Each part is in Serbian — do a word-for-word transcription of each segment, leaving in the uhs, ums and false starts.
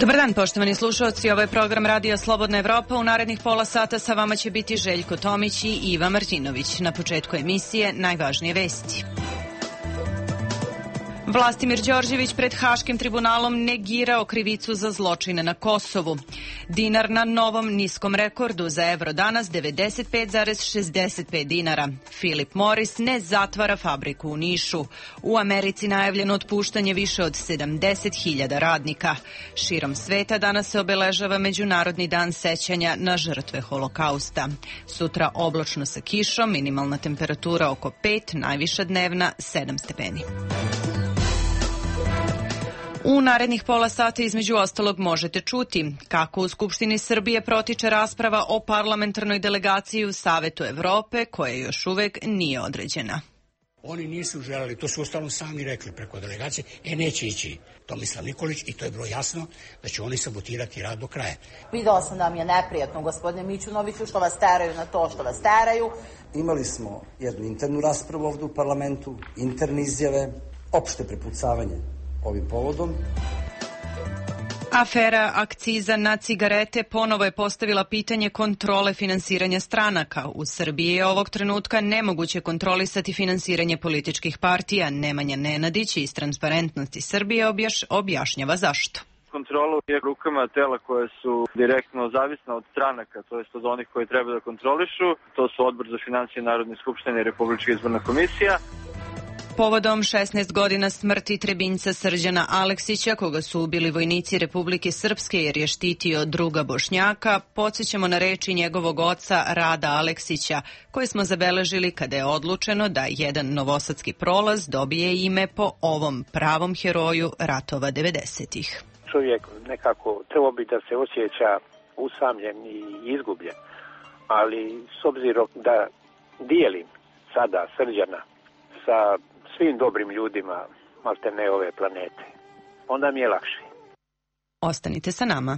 Dobar dan, poštovani slušalci, ovo je program Radio Slobodna Evropa. U narednih pola sata sa vama će biti Željko Tomić i Iva Martinović. Na početku emisije najvažnije vesti. Vlastimir Đorđević pred Haškim tribunalom negirao krivicu za zločine na Kosovu. Dinar na novom niskom rekordu, za evro danas devedeset pet zarez šezdeset pet dinara. Philip Morris ne zatvara fabriku u Nišu. U Americi najavljeno otpuštanje više od sedamdeset hiljada radnika. Širom sveta danas se obeležava Međunarodni dan sećanja na žrtve Holokausta. Sutra oblačno sa kišom, minimalna temperatura oko pet, najviša dnevna sedam stepeni. U narednih pola sata između ostalog možete čuti kako u Skupštini Srbije protiče rasprava o parlamentarnoj delegaciji u Savetu Evrope, koja još uvek nije određena. Oni nisu želeli, to su uostalom sami rekli preko delegacije, e neće ići Tomislav Nikolić i to je bilo jasno da će oni sabotirati rad do kraja. Videla sam da mi je neprijatno, gospodine Mićunoviću, što vas teraju na to što vas teraju. Imali smo jednu internu raspravu ovde u parlamentu, interne izjave, opšte prepucavanje ovim povodom. Afera akciza na cigarete ponovo je postavila pitanje kontrole finansiranja stranaka. U Srbiji je ovog trenutka nemoguće kontrolisati finansiranje političkih partija. Nemanja Nenadić iz Transparentnosti Srbije objaš, objašnjava zašto. Kontrolu je rukama tela koje su direktno zavisna od stranaka, to jest od onih koji treba da kontrolišu. To su Odbor za finansije Narodne skupštine i Republička izborna komisija. Povodom šesnaest godina smrti Trebinjca Srđana Aleksića, koga su ubili vojnici Republike Srpske jer je štitio druga Bošnjaka, podsjećamo na reči njegovog oca Rada Aleksića, koje smo zabeležili kada je odlučeno da jedan novosadski prolaz dobije ime po ovom pravom heroju ratova devedesetih. Čovjek nekako trebao bi da se osjeća usamljen i izgubljen, ali s obzirom da dijelim sada Srđana sa svim dobrim ljudima maltene ove planete, onda mi je lakše. Ostanite sa nama.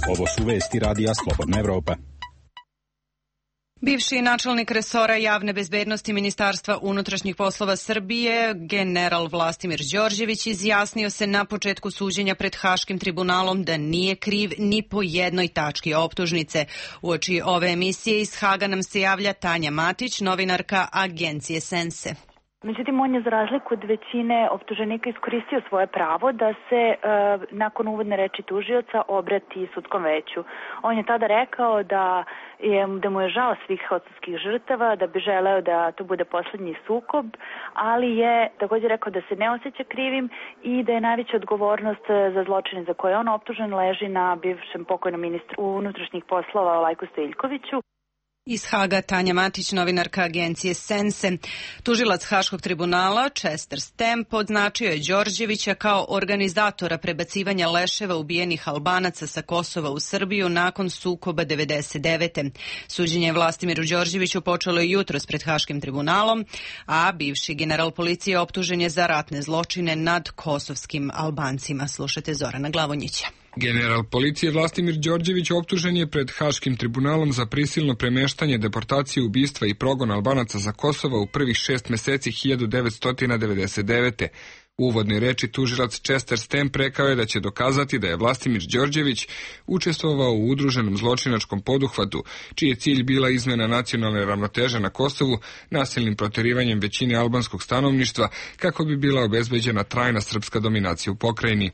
Ovo su vesti Radija Slobodna Evropa. Bivši načelnik resora javne bezbednosti Ministarstva unutrašnjih poslova Srbije, general Vlastimir Đorđević, izjasnio se na početku suđenja pred Haškim tribunalom da nije kriv ni po jednoj tački optužnice. Uoči ove emisije iz Haga nam se javlja Tanja Matić, novinarka agencije Sense. Međutim, on je za razliku od većine optuženika iskoristio svoje pravo da se e, nakon uvodne reči tužioca obrati sudskom veću. On je tada rekao da, je, da mu je žao svih kosovskih žrtava, da bi želeo da to bude poslednji sukob, ali je također rekao da se ne osjeća krivim i da je najveća odgovornost za zločine za koje je on optužen leži na bivšem pokojnom ministru unutrašnjih poslova Lajku Stojiljkoviću. Iz Haga Tanja Matić, novinarka agencije Sense. Tužilac Haškog tribunala Chester Stamp označio je Đorđevića kao organizatora prebacivanja leševa ubijenih Albanaca sa Kosova u Srbiju nakon sukoba devedeset devete. Suđenje Vlastimiru Đorđeviću počelo je jutros pred Haškim tribunalom, a bivši general policije optužen je za ratne zločine nad kosovskim Albancima. Slušajte Zorana Glavonjića. General policije Vlastimir Đorđević optužen je pred Haškim tribunalom za prisilno premeštanje, deportaciju, ubistva i progon Albanaca za Kosova u prvih šest meseci hiljadu devetsto devedeset devete. U uvodnoj reči tužilac Chester Stamp rekao je da će dokazati da je Vlastimir Đorđević učestvovao u udruženom zločinačkom poduhvatu, čiji je cilj bila izmena nacionalne ravnoteže na Kosovu nasilnim proterivanjem većine albanskog stanovništva kako bi bila obezbeđena trajna srpska dominacija u pokrajini.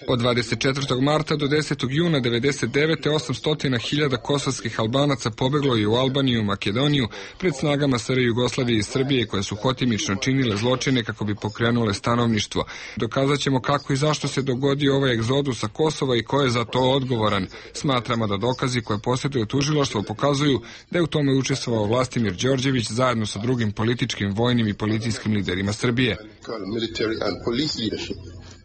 Od dvadeset četvrtog marta do desetog juna devedeset devete osamsto hiljada kosovskih Albanaca pobeglo je u Albaniju i Makedoniju pred snagama S R Jugoslavije i Srbije koje su hotimično činile zločine kako bi pokrenule stanovništvo. Dokazat ćemo kako i zašto se dogodio ovaj egzodus sa Kosova i ko je za to odgovoran. Smatramo da dokazi koje posjeduje tužilaštvo pokazuju da je u tome učestvovao Vlastimir Đorđević zajedno sa drugim političkim, vojnim i policijskim liderima Srbije.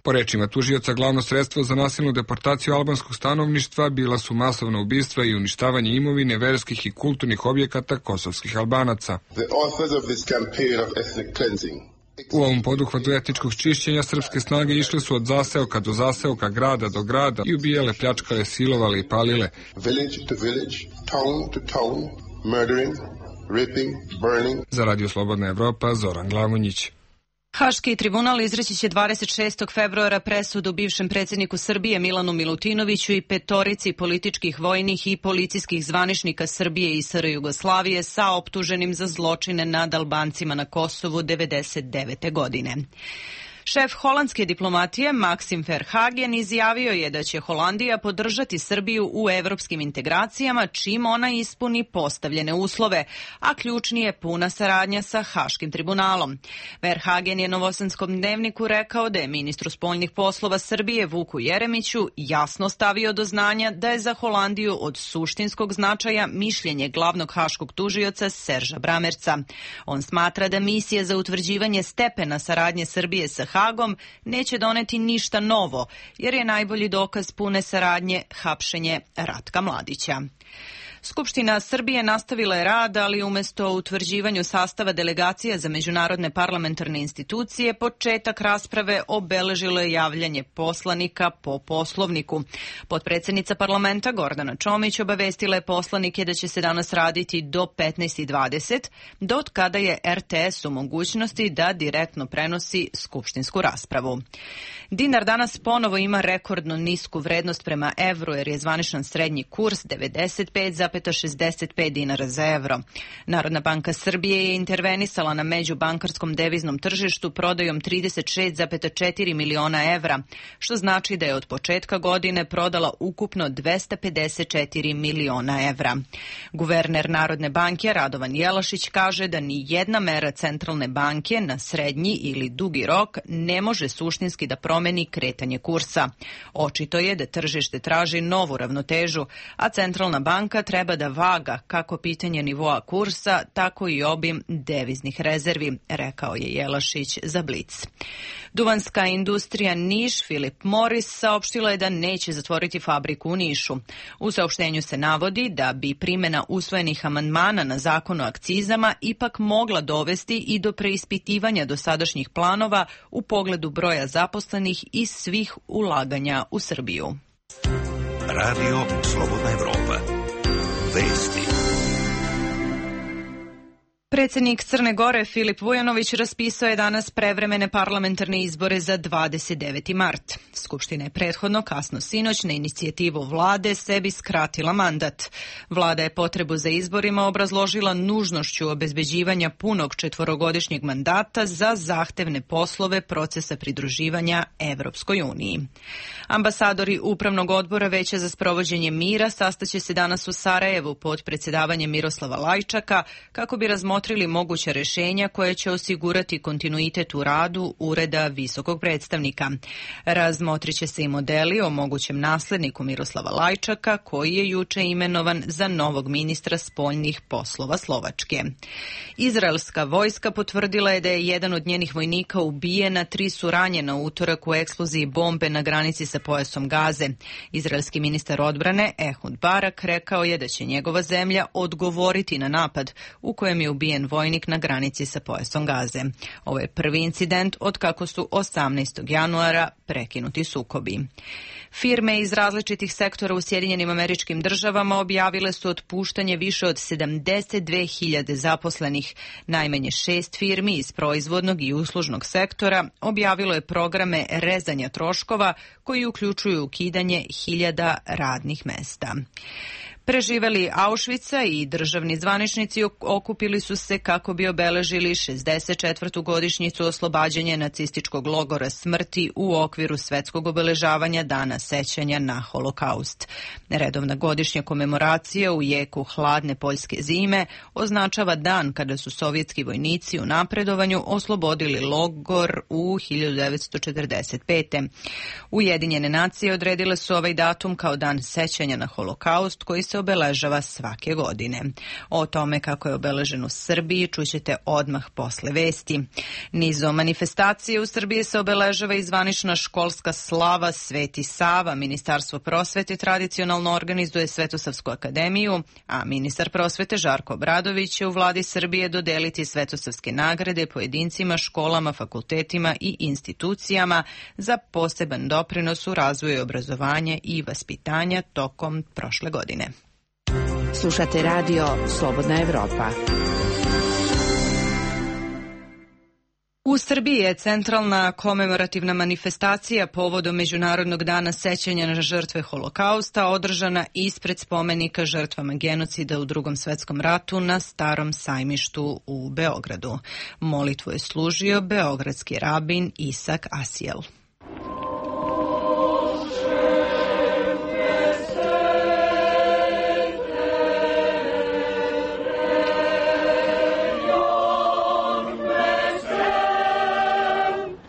Po rečima tužioca, glavno sredstvo za nasilnu deportaciju albanskog stanovništva bila su masovna ubistva i uništavanje imovine, verskih i kulturnih objekata kosovskih Albanaca. U ovom poduhvatu etničkog čišćenja srpske snage išle su od zaseoka do zaseoka, grada do grada i ubijale, pljačkale, silovale i palile. Za Radio Slobodna Evropa, Zoran Glavonjić. Haški tribunal izreći će dvadeset šestog februara presudu bivšem predsjedniku Srbije Milanu Milutinoviću i petorici političkih, vojnih i policijskih zvaničnika Srbije i S R Jugoslavije sa optuženim za zločine nad Albancima na Kosovu devedeset devete godine. Šef holandske diplomatije Maxim Verhagen izjavio je da će Holandija podržati Srbiju u evropskim integracijama čim ona ispuni postavljene uslove, a ključni je puna saradnja sa Haškim tribunalom. Verhagen je Novosadskom dnevniku rekao da je ministru spoljnih poslova Srbije Vuku Jeremiću jasno stavio do znanja da je za Holandiju od suštinskog značaja mišljenje glavnog haškog tužioca Serža Bramerca. On smatra da misija za utvrđivanje stepena saradnje Srbije sa Hagom neće doneti ništa novo, jer je najbolji dokaz pune saradnje hapšenje Ratka Mladića. Skupština Srbije nastavila je rad, ali umjesto utvrđivanju sastava delegacija za međunarodne parlamentarne institucije, početak rasprave obeležilo je javljanje poslanika po poslovniku. Potpredsjednica parlamenta Gordana Čomić obavestila je poslanike da će se danas raditi do petnaest i dvadeset, do kada je R T S u mogućnosti da direktno prenosi skupštinsku raspravu. Dinar danas ponovo ima rekordno nisku vrednost prema evru, jer je zvaničan srednji kurs devedeset pet zarez šezdeset pet dinara za evro. Narodna banka Srbije je intervenisala na međubankarskom deviznom tržištu prodajom trideset šest zarez četiri miliona evra, što znači da je od početka godine prodala ukupno dvesta pedeset četiri miliona evra. Guverner Narodne banke Radovan Jelašić kaže da ni jedna mera centralne banke na srednji ili dugi rok ne može suštinski da promeni kretanje kursa. Očito je da tržište traži novu ravnotežu, a centralna banka treba da vaga kako pitanje nivoa kursa, tako i obim deviznih rezervi, rekao je Jelašić za Blic. Duvanska industrija Niš Philip Morris saopštila je da neće zatvoriti fabriku u Nišu. U saopštenju se navodi da bi primjena usvojenih amandmana na zakon o akcizama ipak mogla dovesti i do preispitivanja dosadašnjih planova u pogledu broja zaposlenih i svih ulaganja u Srbiju. Radio Slobodna Evropa. Vesti. Predsjednik Crne Gore Filip Vujanović raspisao je danas prevremene parlamentarne izbore za dvadeset deveti mart. Skupština je prethodno kasno sinoć na inicijativu vlade sebi skratila mandat. Vlada je potrebu za izborima obrazložila nužnošću obezbeđivanja punog četvorogodišnjeg mandata za zahtevne poslove procesa pridruživanja Evropskoj uniji. Ambasadori Upravnog odbora Veća za sprovođenje mira sastaće se danas u Sarajevu pod predsjedavanjem Miroslava Lajčaka kako bi razmotrili moguća rješenja koje će osigurati kontinuitet u radu Ureda visokog predstavnika. Razmotrit će se i modeli o mogućem nasljedniku Miroslava Lajčaka, koji je juče imenovan za novog ministra spoljnih poslova Slovačke. Izraelska vojska potvrdila je da je jedan od njenih vojnika ubijen, a tri su ranjena u utorak u eksploziji bombe na granici sa pojasom Gaze. Izraelski ministar odbrane Ehud Barak rekao je da će njegova zemlja odgovoriti na napad u kojem je ubijen vojnik na granici sa pojasom Gaze. Ovo je prvi incident od kako su osamnaestog januara prekinuti sukobi. Firme iz različitih sektora u Sjedinjenim Američkim Državama objavile su otpuštanje više od sedamdeset dve hiljade zaposlenih. Najmanje šest firmi iz proizvodnog i uslužnog sektora objavilo je programe rezanja troškova koji uključuju ukidanje hiljada radnih mesta. Preživeli Auschwitza i državni zvaničnici okupili su se kako bi obeležili šezdeset četvrtu godišnjicu oslobađanja nacističkog logora smrti u okviru svetskog obeležavanja Dana sećanja na Holokaust. Redovna godišnja komemoracija u jeku hladne poljske zime označava dan kada su sovjetski vojnici u napredovanju oslobodili logor u hiljadu devetsto četrdeset pete. Ujedinjene nacije odredile su ovaj datum kao dan sećanja na Holokaust koji se obeležava svake godine. O tome kako je obeležen u Srbiji čućete odmah posle vesti. Nizom manifestacije u Srbiji se obeležava i zvanična školska slava Sveti Sava. Ministarstvo prosvete tradicionalno organizuje Svetosavsku akademiju, a ministar prosvete Žarko Obradović će u vladi Srbije dodeliti Svetosavske nagrade pojedincima, školama, fakultetima i institucijama za poseban doprinos u razvoju obrazovanja i vaspitanja tokom prošle godine. Slušate radio Slobodna Evropa. U Srbiji je centralna komemorativna manifestacija povodom Međunarodnog dana sećanja na žrtve Holokausta održana ispred spomenika žrtvama genocida u Drugom svetskom ratu na Starom sajmištu u Beogradu. Molitvu je služio beogradski rabin Isak Asijel.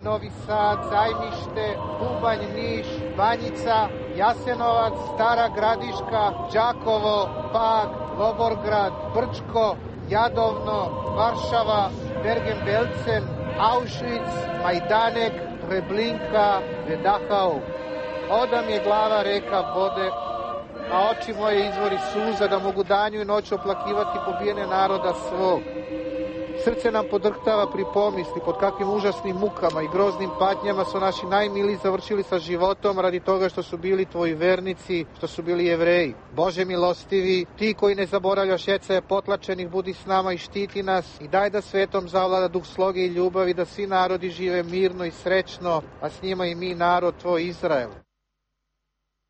Novi Sad, Sajmište, Bubanj, Niš, Banjica, Jasenovac, Stara Gradiška, Đakovo, Pag, Loborgrad, Brčko, Jadovno, Varšava, Bergen-Belsen, Auschwitz, Majdanek, Treblinka, Vedahau. Oda mi je glava reka vode, a oči moje izvori suza, da mogu danju i noću oplakivati pobijene naroda svog. Srce nam podrhtava pri pomisli pod kakvim užasnim mukama i groznim patnjama su naši najmiliji završili sa životom radi toga što su bili tvoji vernici, što su bili Jevreji. Bože milostivi, ti koji ne zaboravljaš ecaje potlačenih, budi s nama i štiti nas i daj da svetom zavlada duh sloge i ljubavi, da svi narodi žive mirno i srećno, a s njima i mi, narod tvoj Izrael.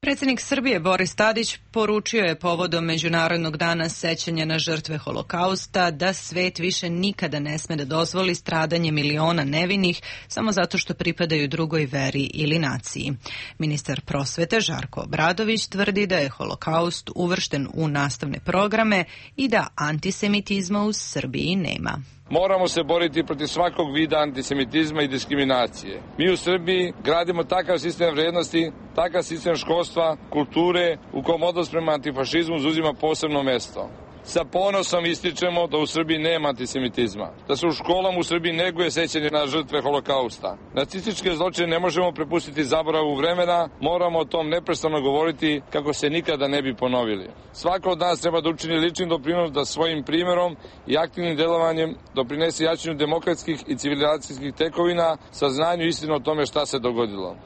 Predsjednik Srbije Boris Tadić poručio je povodom Međunarodnog dana sećanja na žrtve Holokausta da svet više nikada ne sme da dozvoli stradanje miliona nevinih samo zato što pripadaju drugoj veri ili naciji. Ministar prosvete Žarko Obradović tvrdi da je Holokaust uvršten u nastavne programe i da antisemitizma u Srbiji nema. Moramo se boriti protiv svakog vida antisemitizma i diskriminacije. Mi u Srbiji gradimo takav sistem vrijednosti, takav sistem školstva, kulture, u kom odnos prema antifašizmu zauzima posebno mesto. Sa ponosom ističemo da u Srbiji nema antisemitizma, da se u školama u Srbiji neguje sećanje na žrtve Holokausta. Nacističke zločine ne možemo prepustiti zaboravu vremena, moramo o tom neprestano govoriti kako se nikada ne bi ponovili. Svako od nas treba da učini lični doprinos da svojim primjerom i aktivnim delovanjem doprinese jačanju demokratskih i civilizacijskih tekovina, saznanju istinu o tome šta se dogodilo.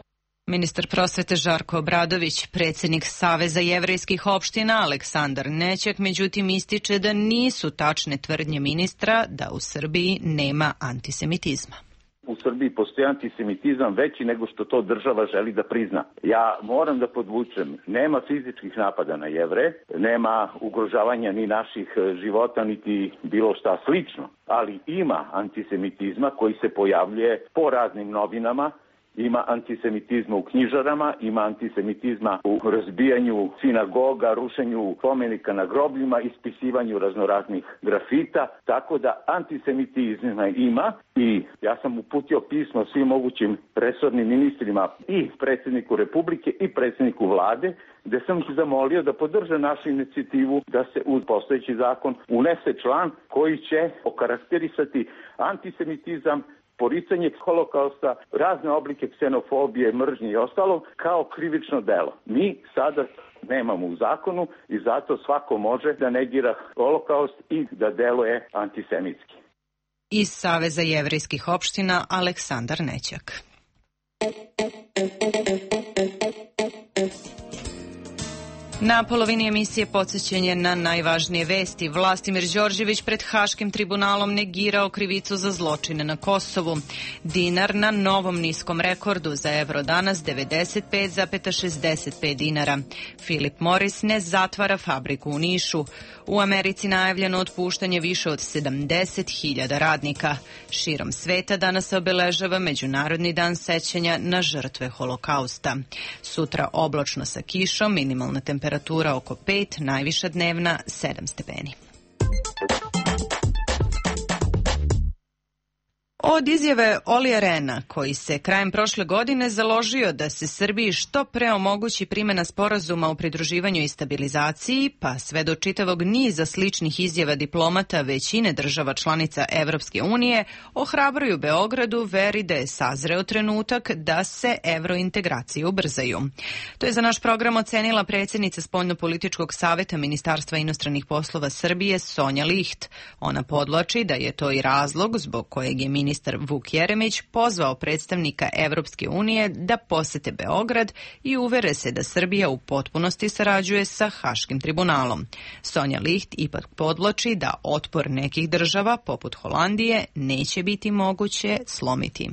Ministar prosvete Žarko Obradović, predsjednik Saveza jevrejskih opština Aleksandar Nećak, međutim ističe da nisu tačne tvrdnje ministra da u Srbiji nema antisemitizma. U Srbiji postoji antisemitizam veći nego što to država želi da prizna. Ja moram da podvučem, nema fizičkih napada na Jevre, nema ugrožavanja ni naših života, niti bilo šta slično, ali ima antisemitizma koji se pojavljuje po raznim novinama. Ima antisemitizma u knjižarama, ima antisemitizma u razbijanju sinagoga, rušenju spomenika na grobljima, ispisivanju raznoraznih grafita, tako da antisemitizma ima i ja sam uputio pismo svim mogućim resornim ministrima i predsjedniku Republike i predsjedniku vlade, gde sam ih zamolio da podrže našu inicijativu da se u postojeći zakon unese član koji će okarakterisati antisemitizam, poricanje Holokausta, razne oblike ksenofobije, mržnje i ostalo kao krivično delo. Mi sada nemamo u zakonu i zato svako može da negira Holokaust i da deluje antisemitski. Iz Saveza jevrejskih opština Aleksandar Nećak. Na polovini emisije podsjećanje na najvažnije vesti. Vlastimir Đorđević pred Haškim tribunalom negirao krivicu za zločine na Kosovu. Dinar na novom niskom rekordu, za evro danas devedeset pet zarez šezdeset pet dinara. Philip Morris ne zatvara fabriku u Nišu. U Americi najavljeno otpuštanje više od sedamdeset hiljada radnika. Širom sveta danas se obeležava Međunarodni dan sećanja na žrtve Holokausta. Sutra oblačno sa kišom, minimalna temperatura oko pet, najviša dnevna sedam stepeni. Od izjave Olija Rehna, koji se krajem prošle godine založio da se Srbiji što pre omogući primjena sporazuma o pridruživanju i stabilizaciji, pa sve do čitavog niza sličnih izjava diplomata većine država članica Evropske unije, ohrabruju Beogradu veri da je sazreo trenutak da se evrointegracije ubrzaju. To je za naš program ocenila predsjednica Spoljnopolitičkog saveta Ministarstva inostranih poslova Srbije Sonja Licht. Ona podvlači da je to i razlog zbog kojeg je ministar ministar Vuk Jeremić pozvao predstavnika Evropske unije da posete Beograd i uvere se da Srbija u potpunosti sarađuje sa Haškim tribunalom. Sonja Licht ipak podvlači da otpor nekih država, poput Holandije, neće biti moguće slomiti.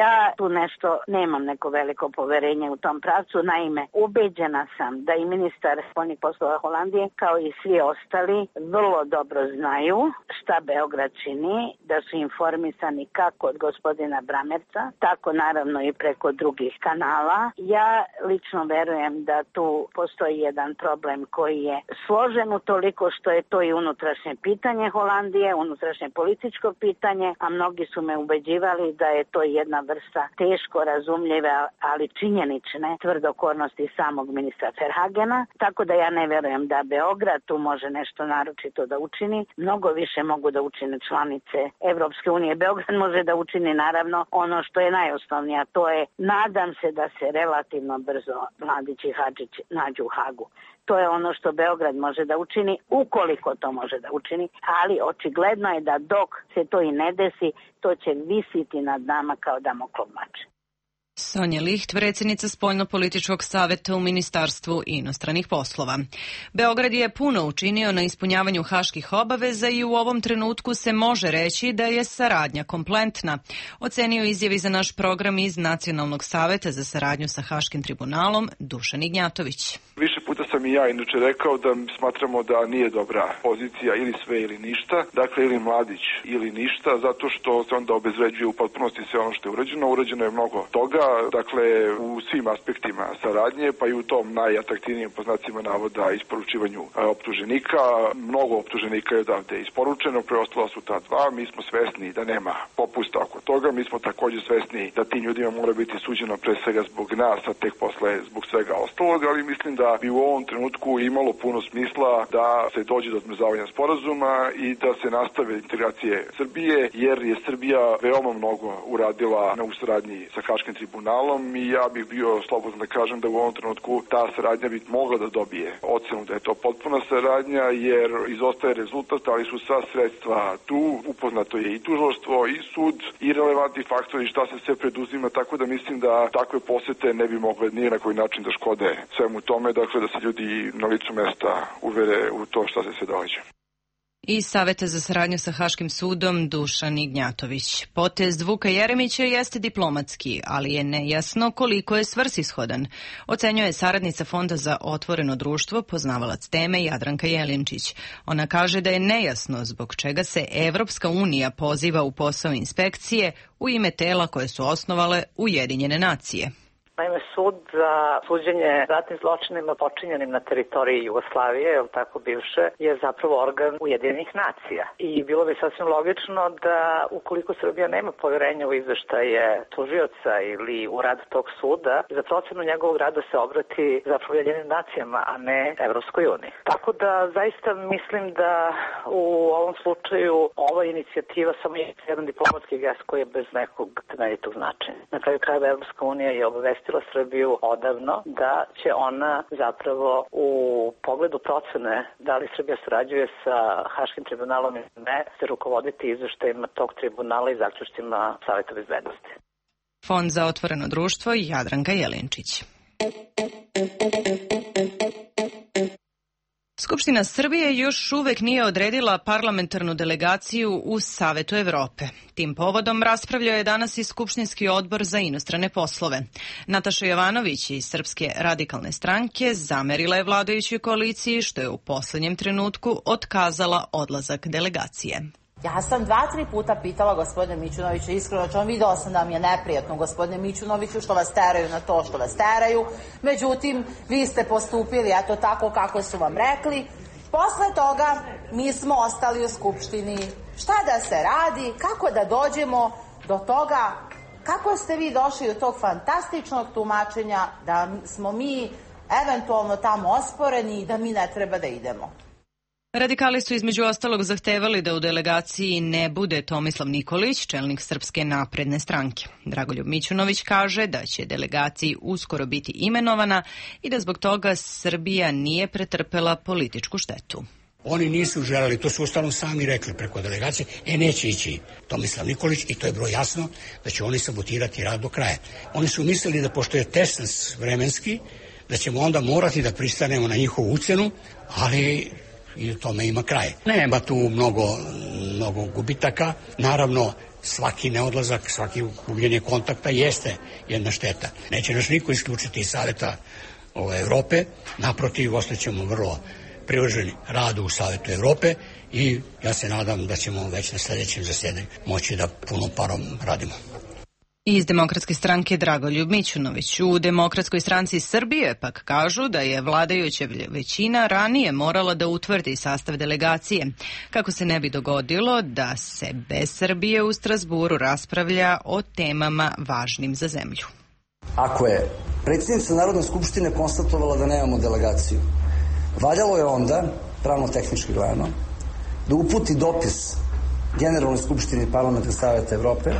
Ja tu nešto nemam neko veliko poverenje u tom pravcu. Naime, ubeđena sam da i ministar spoljnih poslova Holandije, kao i svi ostali, vrlo dobro znaju šta Beograd čini, da su informisani kako od gospodina Bramerca, tako naravno i preko drugih kanala. Ja lično verujem da tu postoji jedan problem koji je složen utoliko što je to i unutrašnje pitanje Holandije, unutrašnje političko pitanje, a mnogi su me ubeđivali da je to jedna vrsta teško razumljive, ali činjenične tvrdokornosti samog ministra Verhagena, tako da ja ne verujem da Beograd tu može nešto naročito da učini. Mnogo više mogu da učine članice Evropske unije. Beograd može da učini naravno ono što je najosnovnije, a to je, nadam se da se relativno brzo Mladić i Hadžić nađu u Hagu. To je ono što Beograd može da učini, ukoliko to može da učini, ali očigledno je da dok se to i ne desi, to će visiti nad nama kao Damoklov mač. Sonja Licht, predsjednica Spoljno-političkog saveta u Ministarstvu inostranih poslova. Beograd je puno učinio na ispunjavanju haških obaveza i u ovom trenutku se može reći da je saradnja kompletna, ocenio izjavi za naš program iz Nacionalnog saveta za saradnju sa Haškim tribunalom Dušan Ignjatović. Više puta sam i ja inače rekao da smatramo da nije dobra pozicija ili sve ili ništa, dakle ili Mladić ili ništa, zato što se onda obezvređuje u potpunosti sve ono što je urađeno. Urađeno je mnogo toga, dakle u svim aspektima saradnje, pa i u tom najatraktivnijem po znacima navoda isporučivanju optuženika. Mnogo optuženika je odavde isporučeno, preostala su ta dva, mi smo svesni da nema popusta oko toga, mi smo također svesni da tim ljudima mora biti suđeno pre svega zbog nas, a tek posle zbog svega ostalog, ali mislim da bi u ovom trenutku imalo puno smisla da se dođe do odmrzavanja sporazuma i da se nastave integracije Srbije, jer je Srbija veoma mnogo uradila na saradnji sa Haškim tribunalom i ja bih bio slobodan da kažem da u ovom trenutku ta saradnja bi mogla da dobije ocenu da je to potpuna saradnja, jer izostaje rezultat, ali su sva sredstva tu, upoznato je i tužilaštvo i sud i relevantni faktori šta se sve preduzima, tako da mislim da takve posete ne bi mogle ni na koji način da škode svemu tome, dakle da se ljudi na licu mesta uvere u to šta se sve događa. Iz Saveta za saradnju sa Haškim sudom Dušan Ignjatović. Potez Vuka Jeremića jeste diplomatski, ali je nejasno koliko je svrsishodan, ocenjuje saradnica Fonda za otvoreno društvo, poznavalac teme Jadranka Jelinčić. Ona kaže da je nejasno zbog čega se Evropska unija poziva u posao inspekcije u ime tela koje su osnovale Ujedinjene nacije. Naime, sud za suđenje ratnim zločinima počinjenim na teritoriji Jugoslavije, je tako bivše, je zapravo organ Ujedinjenih nacija. I bilo bi sasvim logično da ukoliko Srbija nema poverenja u izveštaje tužioca ili u rad tog suda, za procenu njegovog rada se obrati zapravo Ujedinjenim nacijama, a ne Evropskoj uniji. Tako da zaista mislim da u ovom slučaju ova inicijativa samo je jedan diplomatski gest koji je bez nekog temeljitog značenja. Na kraju krajeva Evropska unija je obavestila Srbiju odavno da će ona zapravo u pogledu procene da li Srbija sarađuje sa Haškim tribunalom ili ne se rukovoditi izveštajima tog tribunala i zaključcima Saveta bezbednosti. Fond za otvoreno društvo i Jadranka Jelinčić. Skupština Srbije još uvek nije odredila parlamentarnu delegaciju u Savetu Evrope. Tim povodom raspravljao je danas i Skupštinski odbor za inostrane poslove. Nataša Jovanović iz Srpske radikalne stranke zamerila je vladajućoj koaliciji što je u poslednjem trenutku otkazala odlazak delegacije. Ja sam dva, tri puta pitala gospodine Mićunovića, iskreno ću vam video sam da mi je neprijatno gospodine Mićunoviću što vas teraju na to što vas teraju, međutim vi ste postupili eto tako kako su vam rekli. Posle toga mi smo ostali u Skupštini. Šta da se radi, kako da dođemo do toga, kako ste vi došli do tog fantastičnog tumačenja da smo mi eventualno tamo osporeni i da mi ne treba da idemo. Radikali su između ostalog zahtevali da u delegaciji ne bude Tomislav Nikolić, čelnik Srpske napredne stranke. Dragoljub Mićunović kaže da će delegaciji uskoro biti imenovana i da zbog toga Srbija nije pretrpela političku štetu. Oni nisu želeli, to su ostalom sami rekli preko delegacije, e neće ići Tomislav Nikolić i to je bilo jasno da će oni sabotirati rad do kraja. Oni su mislili da pošto je tesnac vremenski, da ćemo onda morati da pristanemo na njihovu ucenu, ali i tome ima kraj. Nema tu mnogo, mnogo gubitaka, naravno svaki neodlazak, svaki gubljenje kontakta jeste jedna šteta. Neće nas niko isključiti iz Saveta Evrope, naprotiv, ostaćemo vrlo privrženi radu u Savetu Evrope i ja se nadam da ćemo već na sledećem zasedanju moći da punom parom radimo. Iz Demokratske stranke Dragoljub Mićunović. U Demokratskoj stranci Srbije pak kažu da je vladajuća većina ranije morala da utvrdi sastav delegacije, kako se ne bi dogodilo da se bez Srbije u Strazburu raspravlja o temama važnim za zemlju. Ako je predsjednica Narodne skupštine konstatovala da nemamo delegaciju, valjalo je onda, pravno-tehnički gledano, da uputi dopis Generalnoj skupštini Parlamenta Saveta Evrope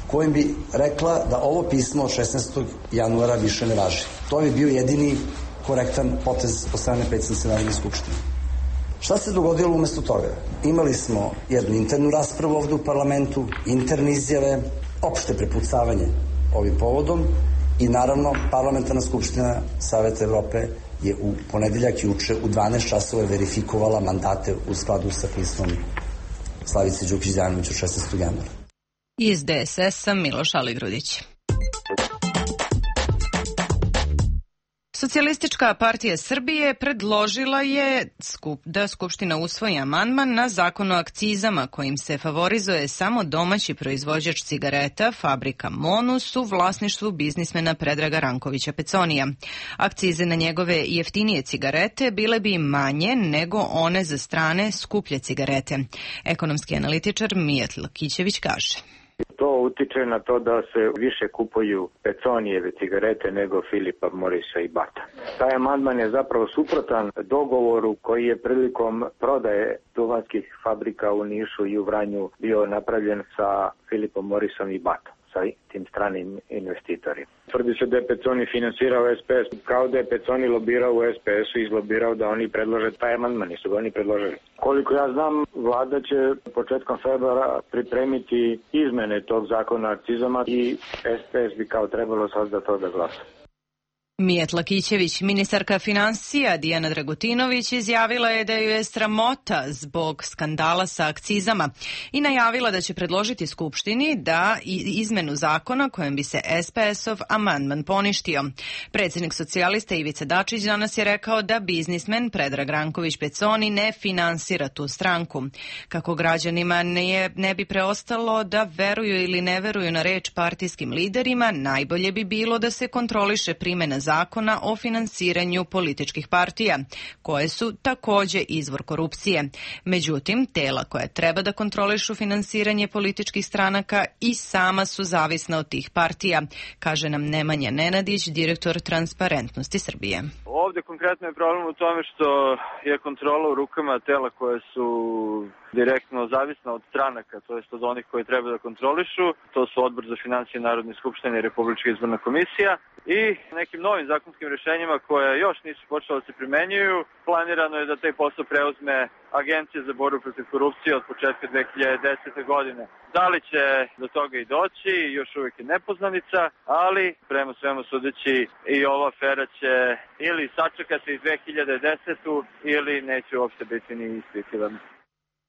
kojim bi rekla da ovo pismo od šesnaestog januara više ne važi. To bi bio jedini korektan potez od strane predsjednice Narodne skupštine. Šta se dogodilo umesto toga? Imali smo jednu internu raspravu ovde u parlamentu, interne izjave, opšte prepucavanje ovim povodom i naravno Parlamentarna skupština Saveta Evrope je u ponedeljak juče u dvanaest časova verifikovala mandate u skladu sa pismom Slavice Đukić-Dejanović od šesnaestog januara. Iz D S S-a Miloš Aligrudić. Socijalistička partija Srbije predložila je da Skupština usvoji amandman na zakon o akcizama kojim se favorizuje samo domaći proizvođač cigareta, fabrika Monus, u vlasništvu biznismena Predraga Rankovića Peconija. Akcize na njegove jeftinije cigarete bile bi manje nego one za strane skuplje cigarete. Ekonomski analitičar Mijat Lakićević kaže. To utiče na to da se više kupuju Peconijeve cigarete nego Filipa Morisa i Bata. Taj amandman je zapravo suprotan dogovoru koji je prilikom prodaje duvanskih fabrika u Nišu i u Vranju bio napravljen sa Filipom Morisom i Batom, sa tim stranim investitorima. Tvrdi se da je Peconi finansirao S P S, kao da je Peconi lobirao u S P S-u i izlobirao da oni predlože taj amandman, nisu ga oni predložili. Koliko ja znam, vlada će početkom februara pripremiti izmene tog zakona o akcizama i S P S bi kao trebalo sad za to da glasa. Mijat Lakićević, ministarka finansija Dijana Dragutinović, izjavila je da ju je sramota zbog skandala sa akcizama i najavila da će predložiti Skupštini da izmenu zakona kojem bi se S P S-ov amandman poništio. Predsjednik socijalista Ivica Dačić danas je rekao da biznismen Predrag Ranković Peconi ne finansira tu stranku. Kako građanima ne, ne bi preostalo da veruju ili ne veruju na reč partijskim liderima, najbolje bi bilo da se kontroliše primjena zakona zakona o finansiranju političkih partija, koje su takođe izvor korupcije. Međutim, tela koja treba da kontrolišu finansiranje političkih stranaka i sama su zavisna od tih partija, kaže nam Nemanja Nenadić, direktor Transparentnosti Srbije. Ovde konkretno je problem u tome što je kontrola u rukama tela koje su direktno zavisna od stranaka, to jest od onih koji treba da kontrolišu. To su Odbor za financije Narodne skupštine i Republička izborna komisija. I nekim novim zakonskim rešenjima koje još nisu počela da se primenjuju, planirano je da taj posao preuzme Agencija za borbu protiv korupcije od početka dve hiljade desete. godine. Da li će do toga i doći, još uvijek je nepoznanica, ali prema svemu sudeći i ova afera će ili sačekati dve hiljade desetu. ili neće uopšte biti ni ispitivana.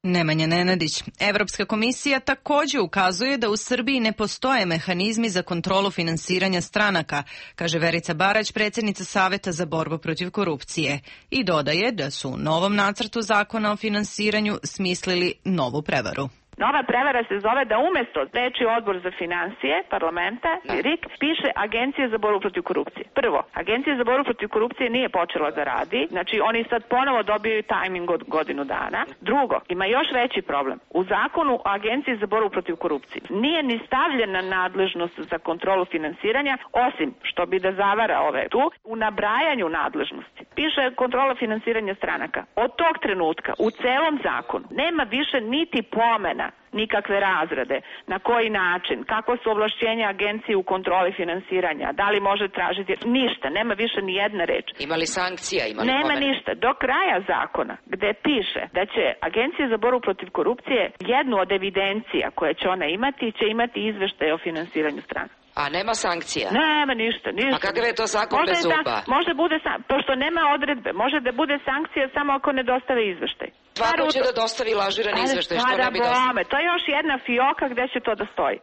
Nemanja Nenadić. Evropska komisija takođe ukazuje da u Srbiji ne postoje mehanizmi za kontrolu finansiranja stranaka, kaže Verica Barać, predsjednica Saveta za borbu protiv korupcije. I dodaje da su u novom nacrtu zakona o finansiranju smislili novu prevaru. Nova prevara se zove da umesto reči Odbor za financije parlamenta, R I K, piše Agencija za borbu protiv korupcije. Prvo, Agencija za borbu protiv korupcije nije počela da radi, znači oni sad ponovo dobijaju tajming od godinu dana. Drugo, ima još veći problem. U zakonu o Agenciji za borbu protiv korupcije nije ni stavljena nadležnost za kontrolu finansiranja, osim što bi da zavara ove tu, u nabrajanju nadležnosti. Piše kontrola finansiranja stranaka. Od tog trenutka u celom zakonu nema više niti pomena nikakve razrade. Na koji način? Kako su ovlašćenja agencije u kontroli finansiranja? Da li može tražiti? Ništa, nema više ni jedna reč. Ima li sankcija? Ima li nema pomene? ništa. Do kraja zakona, gde piše da će Agencija za borbu protiv korupcije jednu od evidencija koje će ona imati, će imati izveštaj o finansiranju strana. A nema sankcija? Nema ništa, ništa. A kakav je to zakon bez zuba? Može bude, pošto nema odredbe, može da bude sankcija samo ako ne dostave izveštaj. Svako će da dostavi lažirani izveštaj, što ne bi dostavio? To je još jedna fioka gde će to da stoji.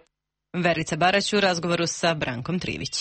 Verica Barać u razgovoru sa Brankom Trivić.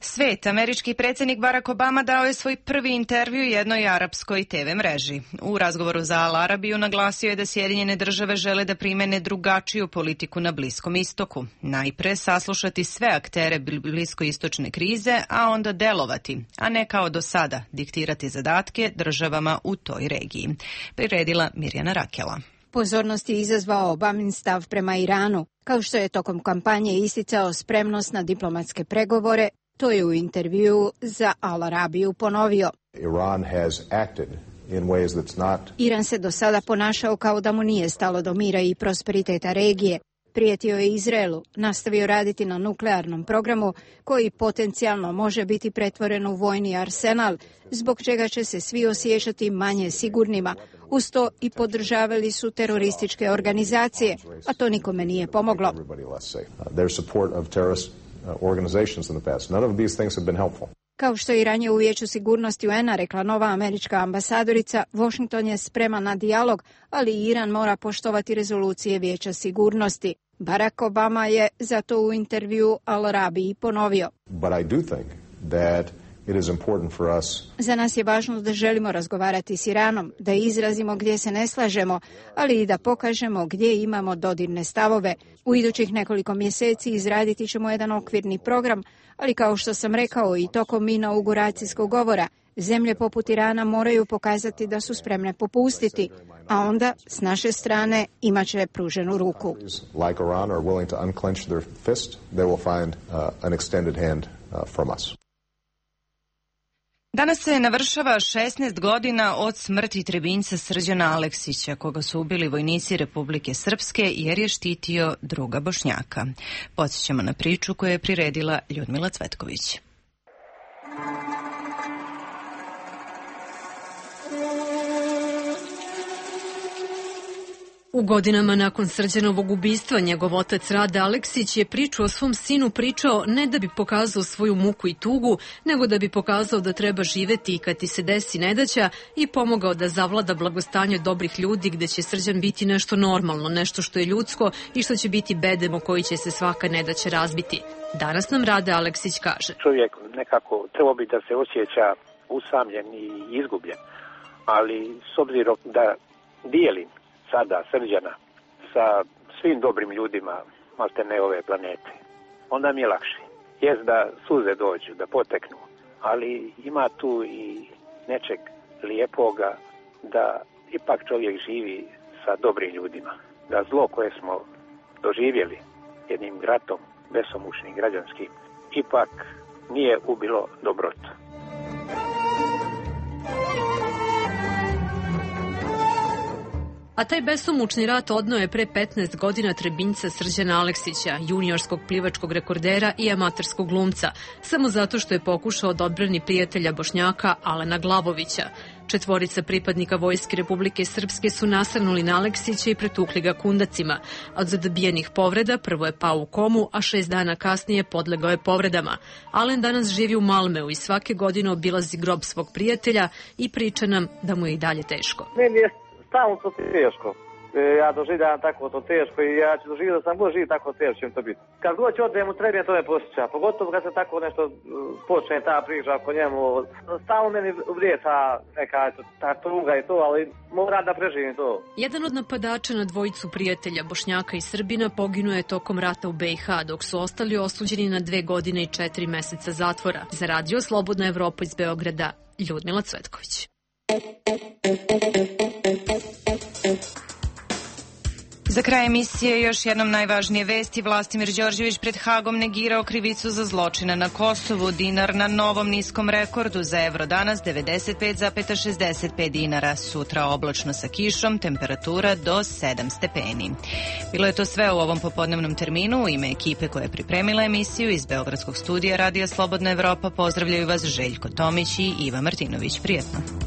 Svet, američki predsjednik Barack Obama dao je svoj prvi intervju jednoj arapskoj te ve mreži. U razgovoru za Al Arabiju naglasio je da Sjedinjene države žele da primene drugačiju politiku na Bliskom istoku. Najpre saslušati sve aktere bliskoistočne krize, a onda delovati, a ne kao do sada diktirati zadatke državama u toj regiji. Priredila Mirjana Rakela. Pozornost je izazvao Obamin stav prema Iranu, kao što je tokom kampanje isticao spremnost na diplomatske pregovore. To je u intervjuu za Al Arabiju ponovio. Iran has acted in ways that's not... Iran se do sada ponašao kao da mu nije stalo do mira i prosperiteta regije. Prijetio je Izraelu, nastavio raditi na nuklearnom programu koji potencijalno može biti pretvoren u vojni arsenal, zbog čega će se svi osjećati manje sigurnima. Uz to i podržavali su terorističke organizacije, a to nikome nije pomoglo. organizations in the past. None of these things have been helpful. Kao što je ranije u Vijeću sigurnosti U N-a rekla nova američka ambasadorica, Washington je spreman na dijalog, ali Iran mora poštovati rezolucije Vijeća sigurnosti. Barack Obama je zato u intervju Al Arabiji ponovio. But I do think that it is important for us. Za nas je važno da želimo razgovarati s Iranom, da izrazimo gdje se ne slažemo, ali i da pokažemo gdje imamo dodirne stavove. U idućih nekoliko mjeseci izraditi ćemo jedan okvirni program, ali kao što sam rekao i tokom inauguracijskog govora, zemlje poput Irana moraju pokazati da su spremne popustiti, a onda s naše strane imat će pruženu ruku. Like Iran are willing to unclench their fist, they will find uh, an extended hand uh, from us. Danas se navršava šesnaest godina od smrti Trebinjca Srđana Aleksića, koga su ubili vojnici Republike Srpske jer je štitio druga Bošnjaka. Podsjećamo na priču koju je priredila Ljudmila Cvetković. U godinama nakon Srđanovog ubistva njegov otac Rade Aleksić je priču o svom sinu pričao ne da bi pokazao svoju muku i tugu, nego da bi pokazao da treba živeti i kad ti se desi nedaća i pomogao da zavlada blagostanje dobrih ljudi gde će Srđan biti nešto normalno, nešto što je ljudsko i što će biti bedem o koji će se svaka nedaća razbiti. Danas nam Rade Aleksić kaže. Čovjek nekako trebao bi da se osjeća usamljen i izgubljen, ali s obzirom da dijelim sada Srđana sa svim dobrim ljudima maltene ove planete, onda mi je lakše. Jest da suze dođu, da poteknu, ali ima tu i nečeg lijepoga da ipak čovjek živi sa dobrim ljudima. Da zlo koje smo doživjeli jednim ratom besomučnim građanskim ipak nije ubilo dobrotu. A taj besomučni rat odneo je pre petnaest godina Trebinjca Srđana Aleksića, juniorskog plivačkog rekordera i amaterskog glumca, samo zato što je pokušao da odbrani prijatelja Bošnjaka Alena Glavovića. Četvorica pripadnika Vojske Republike Srpske su nasrnuli na Aleksića i pretukli ga kundacima. Od zadobijenih povreda prvo je pao u komu, a šest dana kasnije podlegao je povredama. Alen danas živi u Malmeu i svake godine obilazi grob svog prijatelja i priča nam da mu je i dalje teško. Stalno to teško. Ja doživljavam tako to teško i ja ću doživjeti da sam god živ tako teško će mi to biti. Kad god ću odem u Trebinje, to me posjeća. Pogotovo kad se tako nešto počne ta priča oko njemu. Stalno meni vrijeca neka ta tuga i to, ali moram da preživim to. Jedan od napadača na dvojicu prijatelja Bošnjaka i Srbina poginuo je tokom rata u B i H, dok su ostali osuđeni na dve godine i četiri meseca zatvora. Za Radio Slobodna Evropa iz Beograda, Ljudmila Cvetković. Za kraj emisije još jednom najvažnije vesti. Vlastimir Đorđević pred Hagom negirao krivicu za zločine na Kosovu. Dinar na novom niskom rekordu, za evro danas devedeset pet zarez šezdeset pet dinara. Sutra oblačno sa kišom, temperatura do sedam stepeni. Bilo je to sve u ovom popodnevnom terminu. U ime ekipe koja je pripremila emisiju iz Beogradskog studija Radija Slobodna Evropa pozdravljaju vas Željko Tomić i Iva Martinović. Prijetno.